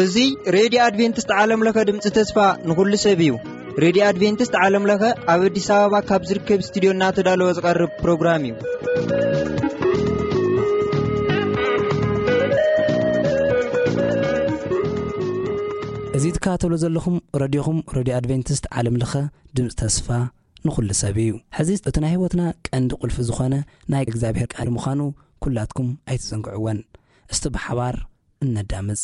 እዚ ሬድዮ ኣድቬንቲስት ዓለም ለኸ ድምፂ ተስፋ ንኹሉ ሰብ እዩ። ሬድዮ ኣድቬንቲስት ዓለም ለኸ ኣብ ኣዲስ ኣበባ ካብ ዝርከብ ስቱዲዮ እናተዳለወ ዝቐርብ ፕሮግራም እዩ። እዚ ትከታተሉ ዘለኹም ረድዮኹም ሬድዮ ኣድቬንቲስት ዓለም ለኸ ድምፂ ተስፋ ንኹሉ ሰብ እዩ። ሕዚ እቲ ናይ ህይወትና ቀንዲ ቁልፊ ዝኾነ ናይ እግዚኣብሔር ቃል ምዃኑ ኩላትኩም ኣይትዘንግዕወን። እስቲ ብሓባር እነዳምፅ።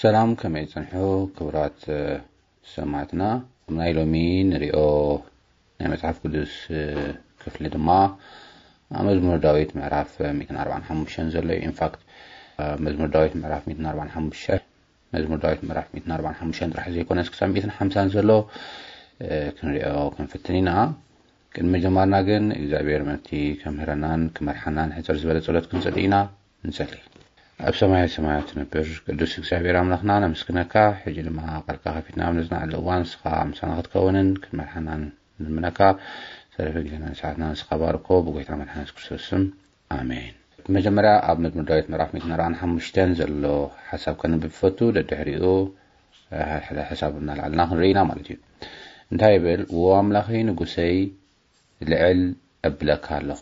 ሰላም፣ ከመይ ጽንሑ ክቡራት ሰማዕትና? ኣብ ናይ ሎሚ ንሪኦ ናይ መጽሓፍ ቅዱስ ክፍሊ ድማ ኣብ መዝሙር ዳዊት ምዕራፍ ሚእትን ኣርባዓን ሓሙሽተን ዘሎ እዩ። ኢንፋክት መዝሙር ዳዊት ምዕራፍ ሚእትን ኣርባዓን ሓሙሽተን፣ መዝሙር ዳዊት ምዕራፍ ሚእትን ኣርባዓን ሓሙሽተን ጥራሕ ዘይኮነስ ክሳብ ሚእትን ሓምሳን ዘሎ ክንሪኦ ክንፍትን ኢና። ቅድሚ ምጅማርና ግን እግዚኣብሔር ምእንቲ ከምህረናን ክመርሓናን ሕፅር ዝበለ ጸሎት ክንጸሊ ኢና። ንጸሊ። ኣብ ሰማያት ሰማያት ትነብር ቅዱስ እግዚኣብሔር ኣምላኽና ነመስግነካ። ሕጂ ድማ ቃልካ ከፊትና ኣብ ነጽንዓሉ እዋን ንስኻ ምሳና ክትከውንን ክትመርሓናን ንልምነካ። ተረፈ ግዜናን ሰዓትናን ንስኻ ባርኮ፣ ብጎይታ መድሓኒ የሱስ ክርስቶስ ስም፣ ኣሜን። መጀመርያ ኣብ መዝሙር ዳዊት ምዕራፍ ሚእትን ኣርባዓን ሓሙሽተን ዘሎ ሓሳብ ከንብብ ፈቱ። ደድሕሪኡ ሓደ ሓደ ሓሳብ እናልዓልና ክንርኢ ኢና ማለት እዩ። እንታይ ይብል? "ዎ ኣምላኸይ ንጉሰይ፣ ልዕል እብለካ ኣለኹ።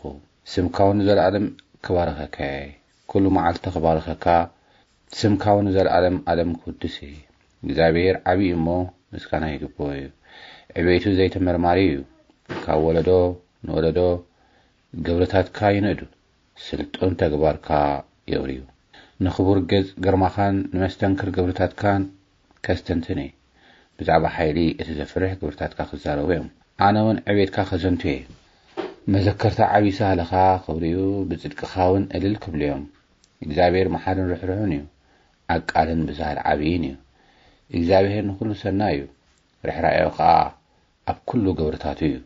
ስምካ እውን ንዘለኣለም ክባርኸካ እየ። ኩሉ መዓልቲ ክባርኸካ፣ ስምካ እውን ንዘለኣለም ኣለም ክውድስ እየ። እግዚኣብሔር ዓብዪ እሞ ምስጋና ይግብኦ እዩ። ዕቤቱ ዘይተመርማሪ እዩ። ካብ ወለዶ ንወለዶ ግብርታትካ ይንእዱ፣ ስልጡን ተግባርካ የውርዩ። ንኽቡር ገጽ ግርማኻን ንመስተንክር ግብርታትካን ከስተንትን እየ። ብዛዕባ ሓይሊ እቲ ዘፍርሕ ግብርታትካ ክዛረቡ እዮም። ኣነ እውን ዕቤትካ ከዘንቱ እየ። መዘከርታ ዓብዪ ሳህልኻ ክብርዩ፣ ብጽድቅኻ እውን እልል ክብሉ እዮም። እግዚኣብሔር መሓርን ርሕሩሕን እዩ፣ ኣብ ቃልን ብዝሃል ዓብይን እዩ። እግዚኣብሔር ንኹሉ ሰናይ እዩ፣ ርሕራኤኡ ኸኣ ኣብ ኩሉ ግብርታቱ እዩ።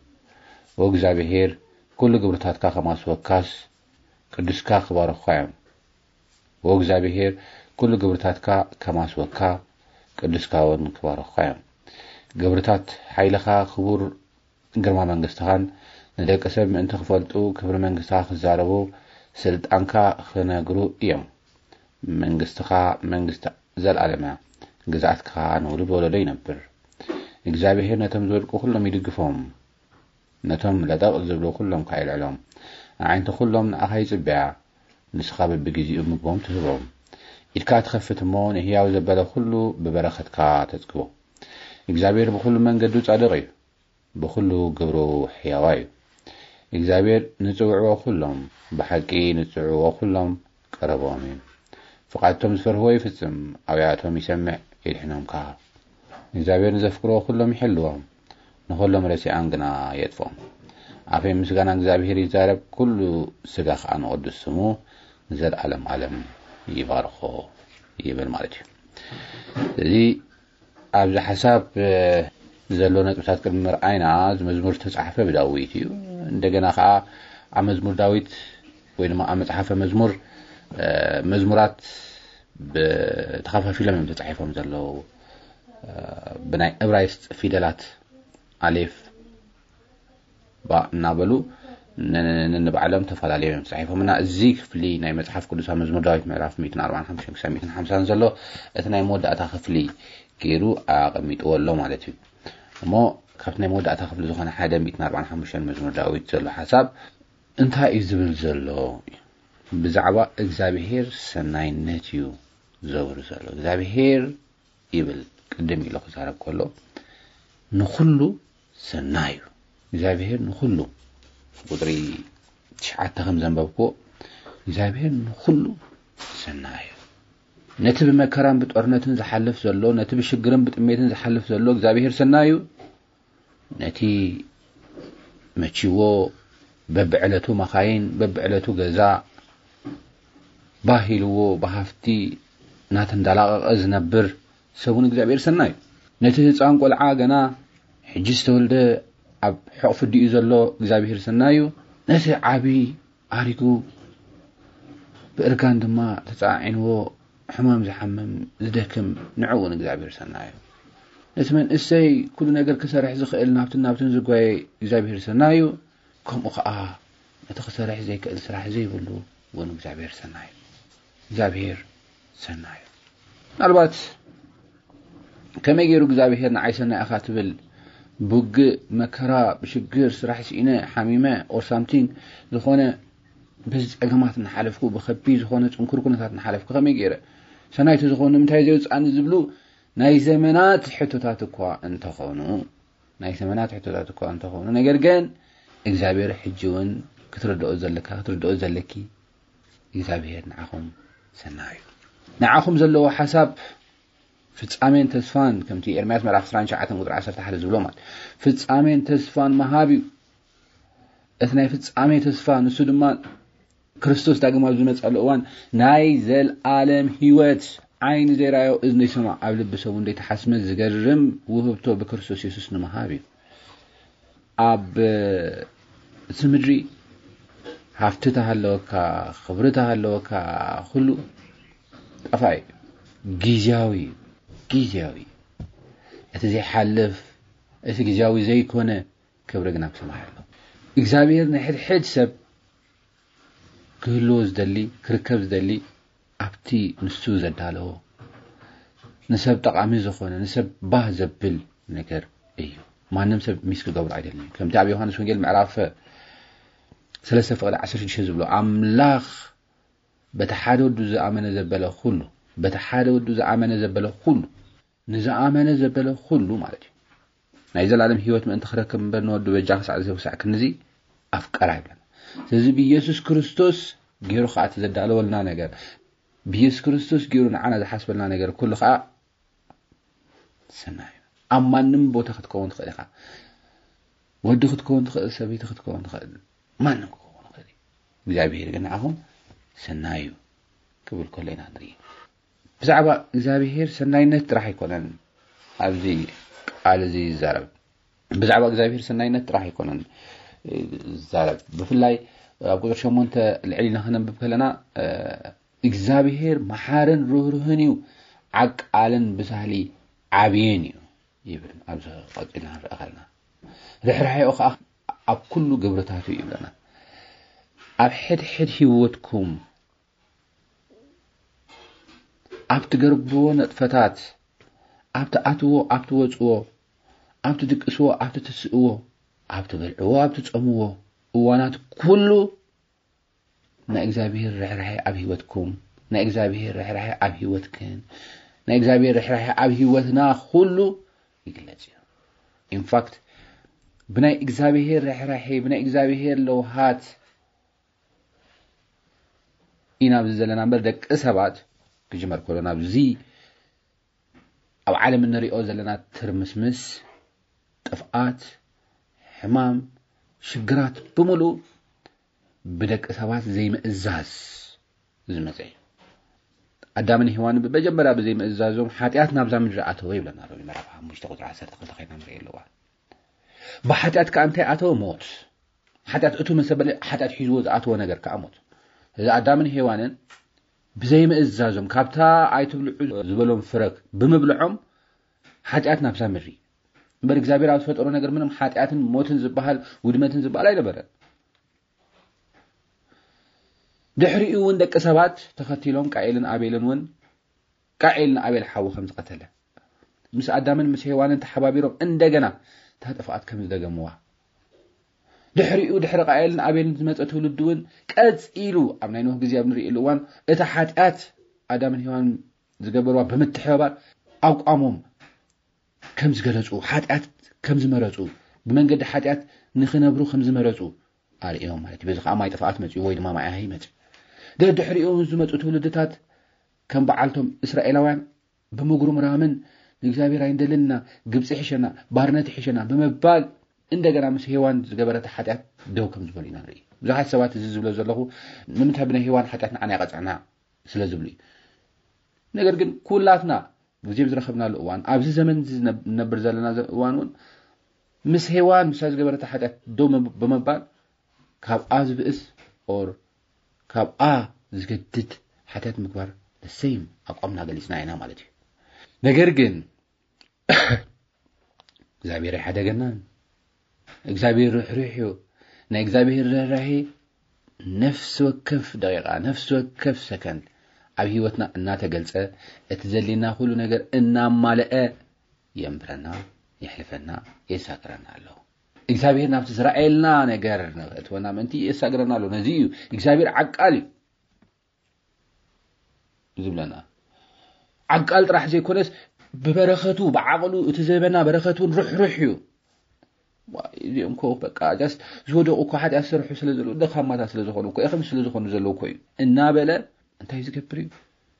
ወእግዚኣብሔር፣ ኩሉ ግብርታትካ ከማስወካስ ቅዱስካ ክባርኹኻ እዮም። ወእግዚኣብሔር፣ ኩሉ ግብርታትካ ከማስወካ ቅዱስካ እውን ክባርኹኻ እዮም። ግብርታት ሓይልኻ፣ ክቡር ግርማ መንግስትኻን ንደቂ ሰብ ምእንቲ ክፈልጡ፣ ክብሪ መንግስትኻ ክዛረቡ፣ ስልጣንካ ክነግሩ እዮም። መንግስትኻ መንግስቲ ዘለኣለም እያ፣ ግዝኣትካ ንውሉድ ወለዶ ይነብር። እግዚኣብሔር ነቶም ዝወድቁ ኩሎም ይድግፎም፣ ነቶም ለጠቕ ዝብሉ ኩሎም ከኣ የልዕሎም። ኣዒንቲ ኩሎም ንኣኻ ይጽበያ፣ ንስኻ በብግዜኡ ምግቦም ትህቦም። ኢድካ ትኸፍት እሞ ንህያው ዘበለ ኩሉ ብበረኸትካ ተጽግቦ። እግዚኣብሔር ብኹሉ መንገዱ ጻድቕ እዩ፣ ብኹሉ ግብሩ ሕያዋ እዩ። እግዚኣብሔር ንጽውዕዎ ኩሎም፣ ብሓቂ ንጽውዕዎ ኩሎም ቀረቦም እዩ። ፍቓድቶም ዝፈርህዎ ይፍጽም፣ ኣብያቶም ይሰምዕ፣ የድሕኖም ከኣ። እግዚኣብሔር ንዘፍቅርዎ ኩሎም ይሕልዎም፣ ንኹሎም ረሲኣን ግና የጥፍኦም። ኣፈይ ምስጋና እግዚኣብሔር ይዛረብ፣ ኩሉ ስጋ ከኣ ንቕዱስ ስሙ ንዘለኣለም ዓለም ይባርኾ ይብል ማለት እዩ። እዚ ኣብዚ ሓሳብ፣ እ፣ ዘሎ ነጥብታት ቅድሚ ምርኣይና፣ እዚ መዝሙር ዝተጻሕፈ ብዳዊት እዩ። እንደገና ከኣ ኣብ መዝሙር ዳዊት ወይ ድማ ኣብ መጽሓፈ መዝሙር፣ እ፣ መዝሙራት ብ-፣ ተኸፋፊሎም እዮም ተጻሒፎም ዘለዉ። እ፣ ብናይ እብራይስጥ ፊደላት ኣሌፍ፣ ባ እናበሉ ን-፣ ን-፣ ንባዕሎም ተፈላለዮም እዮም ተጻሒፎም። እና እዚ ክፍሊ ናይ መጽሓፍ ቅዱስ ኣብ መዝሙር ዳዊት ምዕራፍ ሚእትን ኣርባዓን ሓሙሽተን ክሳብ ሚእትን ሓምሳን ዘሎ እቲ ናይ መወዳእታ ክፍሊ ገይሩ ኣቐሚጥዎ ኣሎ ማለት እዩ። እሞ ካብቲ ናይ መወዳእታ ክፍሊ ዝኾነ ሓደ ሚእትን ኣርባዓን ሓሙሽተን መዝሙር ዳዊት ዘሎ ሓሳብ እንታይ እዩ ዝብል ዘሎ? ብዛዕባ እግዚኣብሔር ሰናይነት እዩ ዘውሪ ዘሎ። እግዚኣብሔር ይብል፣ ቅድም ኢሉ ክዛረብ ከሎ ንኹሉ ሰናይ እዩ። እግዚኣብሔር ንኹሉ፣ ቁጽሪ ትሽዓተ ከም ዘንበብክዎ፣ እግዚኣብሔር ንኹሉ ሰናይ እዩ። ነቲ ብመከራን ብጦርነትን ዝሓልፍ ዘሎ፣ ነቲ ብሽግርን ብጥሜትን ዝሓልፍ ዘሎ እግዚኣብሔር ሰናይ እዩ። ነቲ መቺዎ በብዕለቱ መኻይን፣ በብዕለቱ ገዛ፣ ባህ ኢልዎ ብሃፍቲ እናተንዳላቐቐ ዝነብር ሰብ እውን እግዚኣብሔር ሰናይ እዩ። ነቲ ህፃን ቆልዓ ገና ሕጂ ዝተወልደ ኣብ ሕቑፊ ኣዲኡ ዘሎ እግዚኣብሔር ሰናይ እዩ። ነቲ ዓቢ ኣሪጉ ብእርጋን ድማ ተፀዓዒንዎ ሕማም ዝሓምም ዝደክም ንዕኡ እውን እግዚኣብሔር ሰናይ እዩ። ነቲ መንእሰይ ኩሉ ነገር ክሰርሕ ዝኽእል ናብትን ናብትን ዝጓየ እግዚኣብሔር ሰናይ እዩ። ከምኡ ኸዓ ነቲ ክሰርሕ ዘይክእል ስራሕ ዘይብሉ እውን እግዚኣብሔር ሰናይ እዩ። እግዚኣብሔር ሰናይ እዩ። ምናልባት ከመይ ገይሩ እግዚኣብሔር ንዓይ ሰናይ ኢኻ ትብል? ብውግእ፣ መከራ፣ ብሽግር፣ ስራሕ ስኢነ፣ ሓሚመ or something ዝኾነ በዚ ጸገማት እናሓለፍኩ፣ ብኸቢድ ዝኾነ ጽንኩር ኩነታት እናሓለፍኩ ከመይ ገይረ ሰናይ ተዝኸውን ንምንታይ ዘየውጽኣኒ ዝብሉ ናይ ዘመናት ሕቶታት እኳ እንተኾኑ ናይ ዘመናት ሕቶታት እኳ እንተኾኑ ነገር ግን እግዚኣብሔር ሕጂ እውን ክትርድኦ ዘለካ ክትርድኦ ዘለኪ እግዚኣብሔር ንዓኹም ሰናዩ ንዓኹም ዘለዎ ሓሳብ ፍጻሜን ተስፋን ከምቲ ኤርምያስ ምዕራፍ ዕስራን ትሽዓተን ቁፅሪ ዓሰርተ ሓደ ዝብሎ ማለት ፍጻሜን ተስፋን መሃብ እዩ። እቲ ናይ ፍጻሜ ተስፋ ንሱ ድማ ክርስቶስ ዳግም ኣብ ዝመጻሉ እዋን ናይ ዘልኣለም ህይወት ዓይኒ ዘይረኣዮ እዝኒ ይሰማዕ ኣብ ልቢ ሰብ እውን ዘይተሓስመ ዝገርም ውህብቶ ብክርስቶስ የሱስ ንምሃብ እዩ። ኣብ እቲ ምድሪ ሃፍቲ ተሃለወካ ክብሪ ተሃለወካ ኩሉ ጠፋኢ ግዝያዊ ግዝያዊ እቲ ዘይሓልፍ እቲ ግዝያዊ ዘይኮነ ክብሪ ግን ኣብ ሰማይ ኣሎ። እግዚኣብሔር ንሕድሕድ ሰብ ክህልዎ ዝደሊ ክርከብ ዝደሊ ኣብቲ ንሱ ዘዳለዎ ንሰብ ጠቓሚ ዝኾነ ንሰብ ባህ ዘብል ነገር እዩ። ማንም ሰብ ሚስ ክገብሮ ኣይደልን። ከምቲ ኣብ ዮሃንስ ወንጌል ምዕራፍ ሰለስተ ፍቕዲ ዓሰርተ ሽዱሽተ ዝብሎ ኣምላኽ በቲ ሓደ ወዱ ዝኣመነ ዘበለ ኩሉ በቲ ሓደ ወዱ ዝኣመነ ዘበለ ኩሉ ንዝኣመነ ዘበለ ኩሉ ማለት እዩ ናይ ዘላለም ህይወት ምእንቲ ክረክብ እምበር ንወዱ በጃ ክሳዕ ዝህብ ክሳዕ ክንዚ ኣፍቀራ ይብለና። ስለዚ ብኢየሱስ ክርስቶስ ገይሩ ከዓ እቲ ዘዳለወልና ነገር ብኢየሱስ ክርስቶስ ገይሩ ንዓና ዝሓስበልና ነገር ኩሉ ከዓ ሰናዩ ኣብ ማንም ቦታ ክትከውን ትኽእል ኢኻ። ወዲ ክትከውን ትኽእል ሰበይቲ ክትከውን ትኽእል ማንም ክኸውን ይኽእል እዩ። እግዚኣብሔር ግን ንዓኹም ሰናዩ ክብል ከሎ ኢና ንርኢ። ብዛዕባ እግዚኣብሔር ሰናይነት ጥራሕ ኣይኮነን ኣብዚ ቃል እዚ ይዛረብ። ብዛዕባ እግዚኣብሔር ሰናይነት ጥራሕ ኣይኮነን ዝዛረብ። ብፍላይ ኣብ ቁፅሪ ሸሞንተ ልዕል ኢልና ክነንብብ ከለና እግዚኣብሔር መሓርን ርህሩህን እዩ ዓቃልን ብሳህሊ ዓብይን እዩ ይብል። ኣብዚ ቀፂልና ንርኢ ከለና ርሕራሕኡ ከዓ ኣብ ኩሉ ግብርታቱ እዩ ይብለና። ኣብ ሕድሕድ ህይወትኩም ኣብ ትገርብዎ ነጥፈታት ኣብ ትኣትዎ ኣብ ትወፅዎ ኣብ ትድቅስዎ ኣብ ትትስእዎ ኣብ ትበልዕዎ ኣብ ትፀምዎ እዋናት ኩሉ ናይ እግዚኣብሔር ርሕራሐ ኣብ ህይወትኩም ናይ እግዚኣብሔር ርሕራሐ ኣብ ህይወትክን ናይ እግዚኣብሔር ርሕራሐ ኣብ ህይወትና ኩሉ ይግለጽ እዩ። ኢንፋክት ብናይ እግዚኣብሔር ርሕራሐ ብናይ እግዚኣብሔር ለውሃት ኢና ኣብዚ ዘለና እምበር ደቂ ሰባት ክጅመር ከሎ ናብዚ ኣብ ዓለም እንሪኦ ዘለና ትርምስምስ ጥፍኣት ሕማም ሽግራት ብምሉእ ብደቂ ሰባት ዘይምእዛዝ ዝመፀ እዩ። ኣዳምን ሄዋን ብመጀመርያ ብዘይምእዛዞም ሓጢኣት ናብዛ ምድሪ ኣተወ ይብለና ሮሜ ምዕራፍ ሓሙሽተ ቁፅሪ ዓሰርተ ክልተ ኮይና ንርኢ ኣለዋ። ብሓጢኣት ከዓ እንታይ ኣተወ? ሞት። ሓጢኣት እቱ መሰበለ ሓጢኣት ሒዝዎ ዝኣተወ ነገር ከዓ ሞት። እዚ ኣዳምን ሄዋንን ብዘይምእዛዞም ካብታ ኣይትብልዑ ዝበሎም ፍረ ብምብልዖም ሓጢኣት ናብዛ ምድሪ እምበር እግዚኣብሔር ኣብ ዝፈጠሮ ነገር ምንም ሓጢኣትን ሞትን ዝበሃል ውድመትን ዝበሃል ኣይነበረን። ድሕሪኡ እውን ደቂ ሰባት ተኸቲሎም ቃኤልን ኣቤልን እውን ቃኤል ንኣቤል ሓዉ ከም ዝቐተለ ምስ ኣዳምን ምስ ሄዋንን ተሓባቢሮም እንደገና እታ ጥፍኣት ከም ዝደገምዋ ድሕሪኡ ድሕሪ ቃኤልን ኣቤልን ዝመፀ ትውልዲ እውን ቀፂሉ ኣብ ናይ ኖህ ግዜ ኣብ ንርእየሉ እዋን እታ ሓጢኣት ኣዳምን ሄዋንን ዝገበርዋ ብምትሕብባር ኣቋሞም ከም ዝገለፁ ሓጢኣት ከም ዝመረፁ ብመንገዲ ሓጢኣት ንክነብሩ ከም ዝመረፁ ኣርእዮም ማለት እዩ። በዚ ከዓ ማይ ጥፍኣት መፅኡ ወይ ድማ ማይ ሃይ መፅኡ። ደድሕሪኡ ዝመፁ ትውልድታት ከም በዓልቶም እስራኤላውያን ብምጉርምራምን ንእግዚኣብሔር ኣይንደልን ኢና፣ ግብፂ ይሕሸና፣ ባርነት ይሕሸና ብምባል እንደገና ምስ ሄዋን ዝገበረታ ሓጢኣት ደው ከም ዝበሉ ኢና ንርኢ። ብዙሓት ሰባት እዚ ዝብሎ ዘለኹ ንምንታይ ብናይ ሄዋን ሓጢኣት ንዓና ይቐፅዕና ስለ ዝብሉ እዩ። ነገር ግን ኩላትና ግዜ ብዝረኸብናሉ እዋን ኣብዚ ዘመን እዚ ዝነብ- ንነብር ዘለና ዘ- እዋን እውን ምስ ሄዋን ምሳ ዝገበረታ ሓጢኣት ደው መብ- ብምባል ካብኣ ዝብእስ ኦር ካብኣ ዝገድድ ሓጢኣት ምግባር ደሰይም ኣቋምና ገሊፅና ኢና ማለት እዩ። ነገር ግን እግዚኣብሔር ኣይሓደገናን። እግዚኣብሔር ርሕሩሕ እዩ። ናይ እግዚኣብሔር ርህራሄ ነፍሲ ወከፍ ደቂቃ ነፍሲ ወከፍ ሰከንድ ኣብ ህይወትና እናተገልጸ እቲ ዘድልየና ኩሉ ነገር እናማልአ የንብረና፣ የሕልፈና፣ የሳግረና ኣሎ። እግዚኣብሔር ናብቲ ዝረኣየልና ነገር ንክእትወና ምእንቲ የሳግረና ኣሎ። ነዚ እዩ እግዚኣብሔር ዓቃል እዩ ዝብለና። ዓቃል ጥራሕ ዘይኮነስ ብበረኸቱ፣ ብዓቕሉ፣ እቲ ዝህበና በረኸት እውን ርሕሩሕ እዩ። እዚኦም ኮ በቃ ጃስ ዝወደቑ እኮ ሓጢኣት ዝሰርሑ ስለ ዘለዉ፣ ደኻማታት ስለ ዝኾኑ እኮ፣ እኽም ስለ ዝኾኑ ዘለዉ እኮ እዩ እናበለ እንታይ ዝገብር እዩ?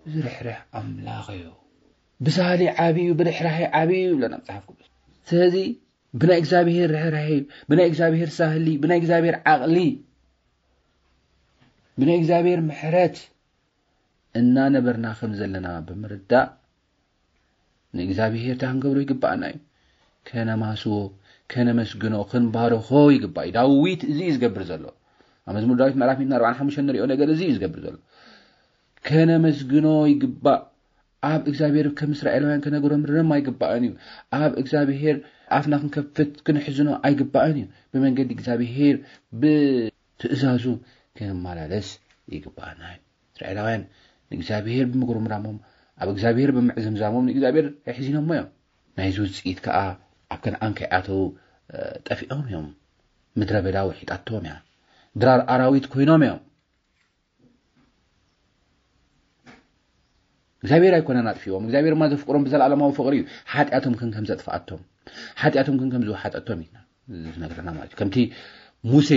ዝርሕርሕ ኣምላኽ እዩ። ብሳህሊ ዓብዩ፣ ብርሕራሄ ዓብዩ እዩ ይብለና መጽሓፍ ቅዱስ። ስለዚ ብናይ እግዚኣብሔር ርሕራሄ እዩ፣ ብናይ እግዚኣብሔር ሳህሊ፣ ብናይ እግዚኣብሔር ዓቕሊ፣ ብናይ እግዚኣብሔር ምሕረት እናነበርና ከም ዘለና ብምርዳእ ንእግዚኣብሔር እንታይ ክንገብሮ ይግባኣና እዩ? ከነማስዎ፣ ከነመስግኖ፣ ክንባርኾ ይግባእ እዩ። ዳዊት እዚ እዩ ዝገብር ዘሎ። ኣብ መዝሙር ዳዊት ምዕራፍ ሚእትን ኣርባዓን ሓሙሽተን ንሪኦ ነገር እዚ እዩ ዝገብር ዘሎ። ከነመስግኖ ይግባእ። ኣብ እግዚኣብሔር ከም እስራኤላውያን ከነጉረምርም ኣይግባእን እዩ። ኣብ እግዚኣብሔር ኣፍና ክንከፍት ክንሕዝኖ ኣይግባእን እዩ። ብመንገዲ እግዚኣብሔር ብትእዛዙ ክንመላለስ ይግባእና እዩ። እስራኤላውያን ንእግዚኣብሔር ብምጉርምራሞም፣ ኣብ እግዚኣብሔር ብምዕዝምዛሞም ንእግዚኣብሔር ኣሕዚኖሞ እዮም። ናይዚ ውፅኢት ከዓ ኣብ ከነኣን ከይኣተዉ ጠፊኦም እዮም። ምድረ በዳ ውሒጣቶም እያ። ድራር ኣራዊት ኮይኖም እዮም። እግዚኣብሔር ኣይኮነን ኣጥፊዎም። እግዚኣብሔር ማ ዘፍቅሮም ብዘለኣለማዊ ፍቕሪ እዩ። ሓጢኣቶም ግን ከም ዘጥፍኣቶም፣ ሓጢኣቶም ግን ከም ዝወሓጠቶም እዩ ዝነግረና ማለት እዩ። ከምቲ ሙሴ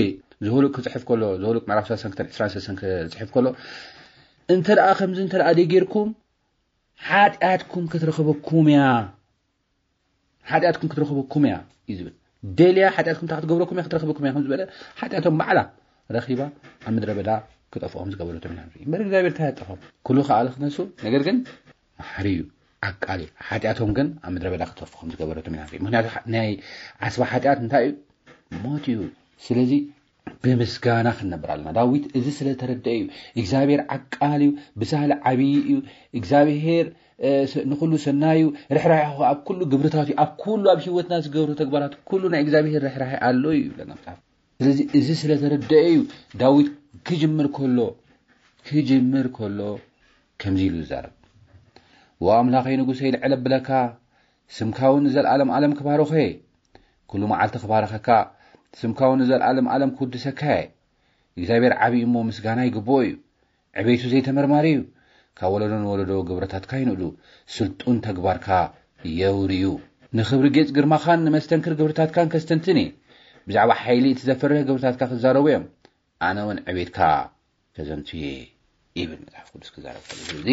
ዘሁልቅ ክፅሕፍ ከሎ፣ ዘሁልቅ ምዕራፍ ሰለስተን ክተን ዕስራን ሰለስተን ክፅሕፍ ከሎ፣ እንተ ደኣ ከምዚ እንተ ደኣ ደይጌርኩም ሓጢኣትኩም ክትረኽበኩም እያ፣ ሓጢኣትኩም ክትረኽበኩም እያ እዩ ዝብል። ደልያ ሓጢኣትኩም እንታይ ክትገብረኩም እያ፣ ክትረኽበኩም እያ ከም ዝበለ፣ ሓጢኣቶም ባዕላ ረኺባ ኣብ ምድረ በዳ ክጠፍኦም ዝገበረቶም ኢና ንርኢ። እምበር እግዚኣብሔር እንታይ ኣጠፋም? ኩሉ ከኣለ ክነሱ፣ ነገር ግን መሓሪ እዩ፣ ዓቃል እዩ። ሓጢኣቶም ግን ኣብ ምድረ በዳ ክጠፍኦም ዝገበረቶም ኢና ንርኢ። ምክንያቱ ናይ ዓስባ ሓጢኣት እንታይ እዩ? ሞት እዩ። ስለዚ ብምስጋና ክንነብር ኣለና። ዳዊት እዚ ስለ ተረድአ እዩ። እግዚኣብሔር ዓቃል እዩ፣ ብሳህሊ ዓብዪ እዩ። እግዚኣብሔር ንኹሉ ሰናይ እዩ። ርሕራሄ ኣብ ኩሉ ግብርታት እዩ። ኣብ ኩሉ ኣብ ህይወትና ዝገብሩ ተግባራት ኩሉ ናይ እግዚኣብሔር ርሕራሄ ኣሎ እዩ ይብለና መጽሓፍ። ስለዚ እዚ ስለ ተረድአ እዩ ዳዊት ክጅምር ከሎ፣ ክጅምር ከሎ ከምዚ ኢሉ ይዛረብ። "ወኣምላኸይ ንጉሰይ ልዕል ኣብለካ፣ ስምካ እውን ንዘለኣለም ኣለም ክባርኾ እየ። ኩሉ መዓልቲ ክባርኸካ፣ ስምካ እውን ንዘለኣለም ኣለም ክውድሰካ እየ። እግዚኣብሔር ዓብዪ እሞ ምስጋና ይግብኦ እዩ። ዕቤቱ ዘይተመርማሪ እዩ። ካብ ወለዶ ንወለዶ ግብረታትካ ይንእዱ፣ ስልጡን ተግባርካ የውርዩ። ንኽብሪ ጌጽ ግርማኻን ንመስተንክር ግብርታትካን ከስተንትን እየ። ብዛዕባ ሓይሊ እቲ ዘፍርህ ግብርታትካ ክዛረቡ እዮም። ኣነ እውን ዕቤትካ ከዘንቱ እየ" ይብል መጽሓፍ ቅዱስ ክዛረብ ከሎ። ስለዚ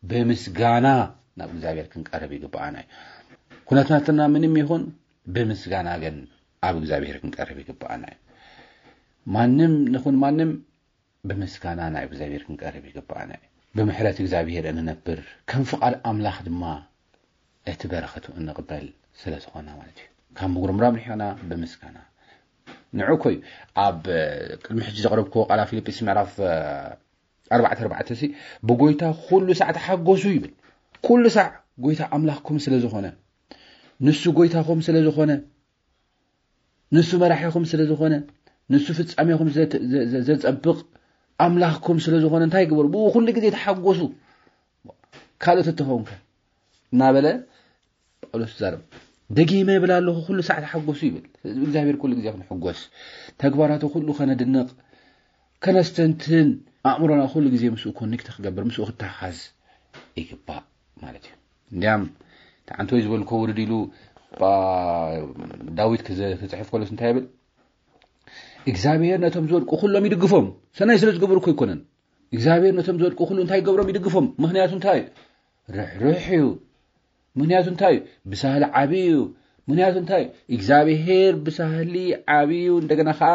ብምስጋና ናብ እግዚኣብሔር ክንቀርብ ይግብኣና እዩ። ኩነታትና ምንም ይኹን ብምስጋና ግን ኣብ እግዚኣብሔር ክንቀርብ ይግብኣና እዩ። ማንም ንኹን ማንም ብምስጋና ናብ እግዚኣብሔር ክንቀርብ ይግብኣና እዩ። ብምሕረት እግዚኣብሔር እንነብር፣ ከም ፍቓድ ኣምላኽ ድማ እቲ በረኸቱ እንቕበል ስለ ዝኾና ማለት እዩ። ካብ ምጉርምራም ንሒቕና ብምስጋና። ንዑ እኮ እዩ ኣብ ቅድሚ ሕጂ ዘቕረብክዎ ቃል ኣብ ፊልጵስ ምዕራፍ ኣርባዕተ ኣርባዕተ ሲ፣ "ብጎይታ ኩሉ ሳዕ ተሓጎሱ" ይብል። ኩሉ ሳዕ ጎይታ ኣምላኽኩም ስለ ዝኾነ፣ ንሱ ጎይታኹም ስለ ዝኾነ፣ ንሱ መራሒኹም ስለ ዝኾነ፣ ንሱ ፍጻሜኹም ዘት-፣ ዘ-፣ ዘ-፣ ዘጸብቕ ኣምላኽኩም ስለ ዝኾነ እንታይ ግበሩ? ብኡ ኩሉ ግዜ ተሓጎሱ። ካልኦት እተኸውንከ? እናበለ ጳውሎስ ይዛረብ። ደጊመ ይብል ኣለኹ፣ ኩሉ ሳዕ ተሓጎሱ ይብል። ስለዚ እግዚኣብሔር ኩሉ ግዜ ክንሕጎስ፣ ተግባራቱ ኩሉ ከነድንቕ፣ ከነስተንትን፣ ኣእምሮና ኩሉ ግዜ ምስኡ ኮኔክት ክገብር፣ ምስኡ ክተሓሓዝ ይግባእ ማለት እዩ። እንዲያም ተዓንቶ ዝበልኮ ውርድ ኢሉ ባ-፣ ዳዊት ክዘ-፣ ክጽሕፍ ከሎስ እንታይ ይብል? "እግዚኣብሔር ነቶም ዝወድቁ ኩሎም ይድግፎም።" ሰናይ ስለ ዝገበሩ እኮ ኣይኮነን። እግዚኣብሔር ነቶም ዝወድቁ ኩሉ እንታይ ይገብሮም? ይድግፎም። ምክንያቱ እንታይ? ርሕሩሕ እዩ። ምክንያቱ እንታይ? ብሳህሊ ዓብዪ እዩ። ምክንያቱ እንታይ? እግዚኣብሔር ብሳህሊ ዓብዪ እዩ፣ እንደገና ከዓ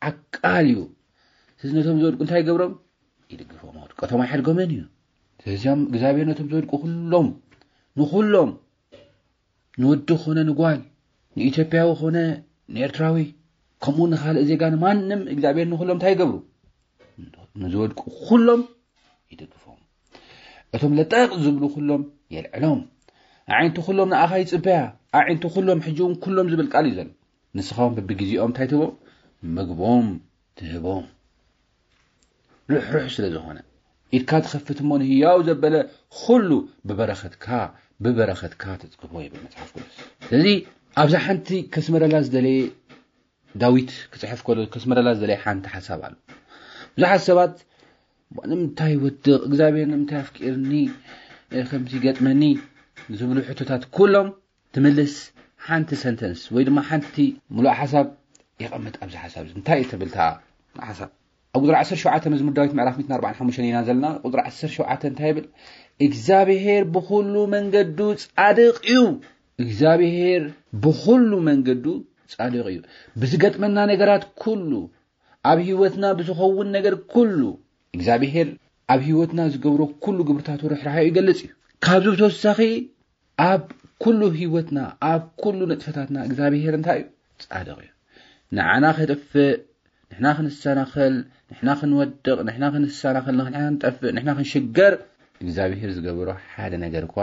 ዓቃል እዩ። ስለዚ ነቶም ዝወድቁ እንታይ ይገብሮም? ይድግፎም። ውድቀቶም ኣይሓድጎምን እዩ። ስለዚም እግዚኣብሔር ነቶም ዝወድቁ ኩሎም፣ ንኩሎም፣ ንወዲ ኾነ ንጓል፣ ንኢትዮጵያዊ ኾነ ንኤርትራዊ፣ ከምኡ ንኻልእ ዜጋ፣ ንማንም እግዚኣብሔር ንኩሎም እንታይ ይገብሩ? ንዝወድቁ ኩሎም ይድግፎም። እቶም ለጠቕ ዝብሉ ኩሎም የልዕሎም። ኣዒንቲ ኩሎም ንኣኻ ይጽበያ። ኣዒንቲ ኩሎም ሕጂ እውን ኩሎም ዝብል ቃል እዩ ዘሎ። ንስኻ እውን በብግዜኦም እንታይ ትህቦም? ምግቦም ትህቦም። ርሕሩሕ ስለ ዝኾነ፣ ኢድካ ትኸፍት እሞ ንህያው ዘበለ ኩሉ ብበረኸትካ፣ ብበረኸትካ ተጽግቦ ይብል መጽሓፍ ቅዱስ። ስለዚ ኣብዛ ሓንቲ ከስመረላ ዝደለየ፣ ዳዊት ክጽሕፍ ከሎ ከስመረላ ዝደለየ ሓንቲ ሓሳብ ኣሎ። ብዙሓት ሰባት፣ "ንምንታይ ወድቕ? እግዚኣብሔር ንምንታይ ኣፍቂርኒ? እ፣ ከምዚ ይገጥመኒ?" ዝብሉ ሕቶታት ኩሎም ትምልስ ሓንቲ ሰንተንስ ወይ ድማ ሓንቲ ምሉእ ሓሳብ የቐምጥ። ኣብዚ ሓሳብ እዚ እንታይ እዩ ትብል እታ ሓሳብ? ኣብ ቁፅሪ ዓሰርተ ሸውዓተ መዝሙር ዳዊት ምዕራፍ ሚእትን ኣርባዓን ሓሙሽተን ኢና ዘለና። ቁፅሪ ዓሰርተ ሸውዓተ እንታይ ይብል? እግዚኣብሄር ብኹሉ መንገዱ ጻድቕ እዩ። እግዚኣብሄር ብኹሉ መንገዱ ጻድቕ እዩ። ብዝገጥመና ነገራት ኩሉ፣ ኣብ ህይወትና ብዝኸውን ነገር ኩሉ፣ እግዚኣብሄር ኣብ ህይወትና ዝገብሮ ኩሉ ግብርታቱ ርሕራሐ ይገልጽ እዩ። ካብዚ ብተወሳኺ ኣብ ኩሉ ህይወትና፣ ኣብ ኩሉ ንጥፈታትና እግዚኣብሄር እንታይ እዩ? ጻድቕ እዩ። ንዓና ከጥፍእ፣ ንሕና ክንሰናኸል፣ ንሕና ክንወድቕ፣ ንሕና ክንሰናኸል፣ ንሕና ክንጠፍእ፣ ንሕና ክንሽገር እግዚኣብሄር ዝገበሮ ሓደ ነገር እኳ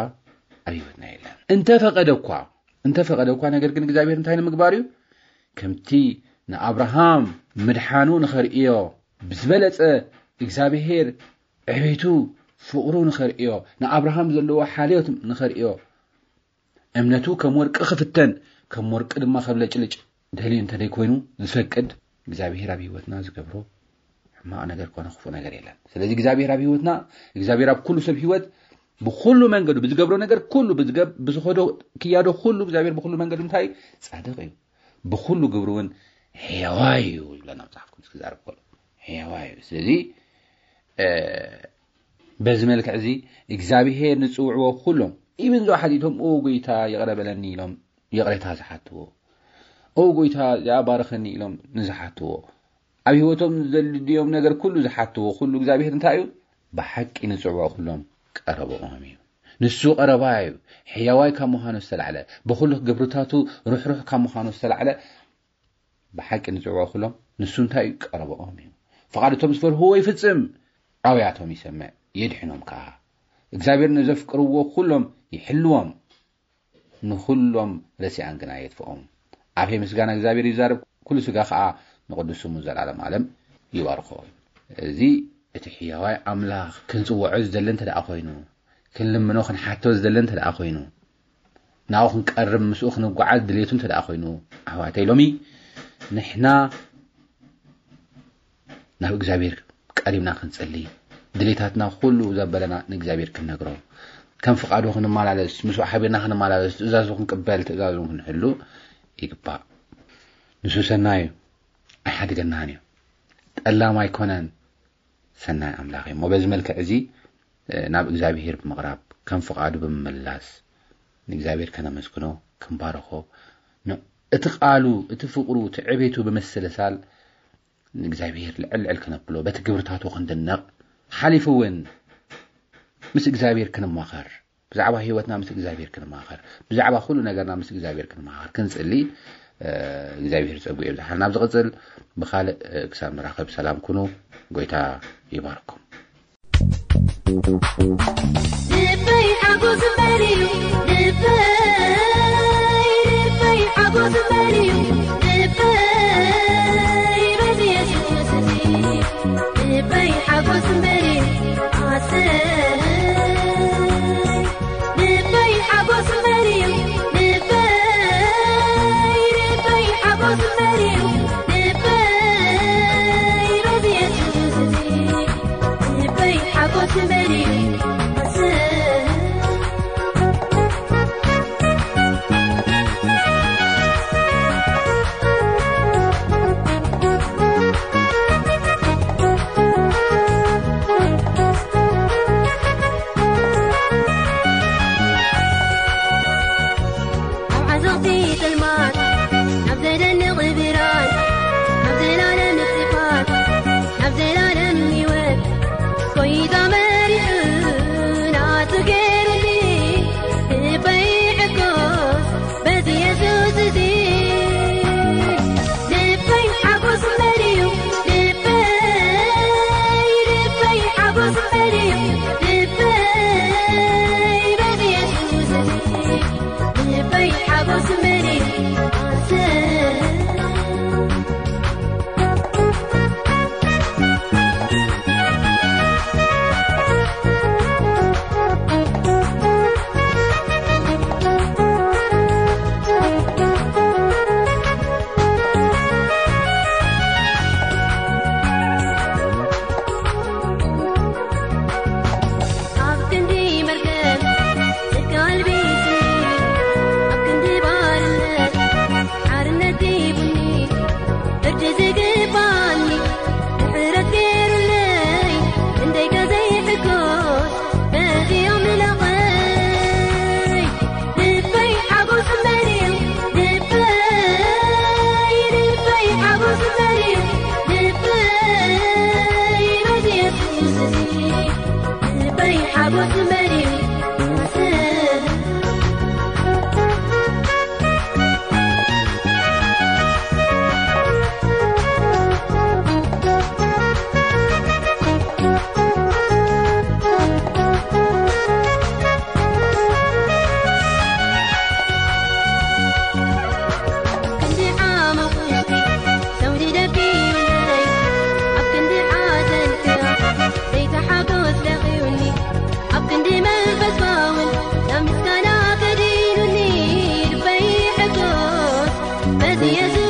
ኣብ ህይወትና የለን። እንተፈቐደ እኳ፣ እንተፈቐደ እኳ፣ ነገር ግን እግዚኣብሄር እንታይ ንምግባር እዩ? ከምቲ ንኣብርሃም ምድሓኑ ንኸርእዮ፣ ብዝበለጸ እግዚኣብሄር ዕቤቱ፣ ፍቕሩ ንኸርእዮ፣ ንኣብርሃም ዘለዎ ሓልዮት ንኸርእዮ፣ እምነቱ ከም ወርቂ ክፍተን፣ ከም ወርቂ ድማ ከብለጭልጭ ደልዩ እንተ ደይኮይኑ ዝፈቅድ፣ እግዚኣብሄር ኣብ ህይወትና ዝገብሮ ሕማቕ ነገር ኮነ ክፉእ ነገር የለን። ስለዚ እግዚኣብሄር ኣብ ህይወትና፣ እግዚኣብሄር ኣብ ኩሉ ሰብ ህይወት ብኹሉ መንገዱ፣ ብዝገብሮ ነገር ኩሉ፣ ብዝገብ-፣ ብዝኸዶ ክያዶ ኩሉ እግዚኣብሄር ብኹሉ መንገዱ እንታይ እዩ? ጻድቕ እዩ። ብኹሉ ግብሩ እውን ሕያዋይ እዩ ይብለና መጽሓፍ ቅዱስ ክዛረብ ከሎ። ሕያዋይ እዩ። ስለዚ፣ እ፣ በዚ መልክዕ እዚ እግዚኣብሄር ንጽውዕዎ ኩሎም፣ ኢብን እዚኦ ሓቲቶም፣ "ኦ ጎይታ፣ ይቕረ በለኒ" ኢሎም ይቕሬታ ዝሓትዎ፣ "ኦ ጎይታ፣ እዚኣ ባርኸኒ" ኢሎም ንዝሓትዎ፣ ኣብ ህይወቶም ዘድልዮም ነገር ኩሉ ዝሓትዎ፣ ኩሉ እግዚኣብሄር እንታይ እዩ? ብሓቂ ንጽውዕዎ ኩሎም ቀረብኦም እዩ። ንሱ ቀረባ እዩ። ሕያዋይ ካብ ምዃኑ ዝተላዕለ፣ ብኹሉ ግብርታቱ ርሕሩሕ ካብ ምዃኑ ዝተላዕለ፣ ብሓቂ ንጽውዕዎ ኩሎም ንሱ እንታይ እዩ? ቀረብኦም እዩ። ፍቓድ እቶም ዝፈርህዎ ይፍጽም፣ ኣውያቶም ይሰምዕ፣ የድሕኖም ከኣ። እግዚኣብሔር ንዘፍቅርዎ ኩሎም ይሕልዎም፣ ንኹሎም ረሲኣን ግና የጥፍኦም። ኣፌ ምስጋና እግዚኣብሔር ይዛረብ፣ ኩሉ ስጋ ከኣ ንቕዱስ ስሙ ዘላለም ዓለም ይባርኾ። እዚ እቲ ሕያዋይ ኣምላኽ ክንጽውዖ ዝደሊ እንተ ደኣ ኮይኑ፣ ክንልምኖ ክንሓቶ ዝደሊ እንተ ደኣ ኮይኑ፣ ናብኡ ክንቀርብ ምስኡ ክንጓዓዝ ድሌቱ እንተ ደኣ ኮይኑ፣ ኣሕዋተይ፣ ሎሚ ንሕና ናብ እግዚኣብሔር ቀሪብና ክንጽሊ፣ ድሌታትና ኩሉ ዘበለና ንእግዚኣብሔር ክንነግሮ፣ ከም ፍቓዱ ክንመላለስ፣ ምስኡ ሓቢርና ክንመላለስ፣ ትእዛዙ ክንቅበል፣ ትእዛዙ ክንሕሉ ይግባእ። ንሱ ሰናይ እዩ፣ ኣይሓድገናን እዩ። ጠላም ኣይኮነን፣ ሰናይ ኣምላኽ እዩ። እሞ በዚ መልክዕ እዚ፣ እ፣ ናብ እግዚኣብሔር ብምቕራብ፣ ከም ፍቓዱ ብምምላስ፣ ንእግዚኣብሔር ከነመስግኖ፣ ክንባርኾ፣ ን-፣ እቲ ቃሉ፣ እቲ ፍቕሩ፣ እቲ ዕቤቱ ብምስልሳል፣ ንእግዚኣብሔር ልዕል ልዕል ከነብሎ፣ በቲ ግብርታቱ ክንድነቕ፣ ሓሊፉ እውን ምስ እግዚኣብሔር ክንማኸር፣ ብዛዕባ ህይወትና ምስ እግዚኣብሔር ክንማኸር፣ ብዛዕባ ኩሉ ነገርና ምስ እግዚኣብሔር ክንማኸር፣ ክንጽሊ፣ እ፣ እግዚኣብሔር ጸጉ የብዝሓልና። ኣብ ዝቕጽል ብኻልእ፣ እ፣ ክሳብ ንራኸብ ሰላም ኩኑ። ጎይታ ይባርኩም። ልበይ ሓጎስ እምበር እዩ፣ ልበይ፣ ልበይ ሓጎስ እምበር እዩ፣ ልበይ በዚ የሱስ እዚ። ልበይ ሓጎስ እምበር እዩ፣ ኣሰይ። ልበይ ሓጎስ እምበር እዩ፣ ልበይ፣ ልበይ ሓጎስ እምበር እዩ፣ ልበይ በዚ የሱስ እዚ። ልበይ ሓጎስ እምበር እዩ፣ ኣሰይ። እዚ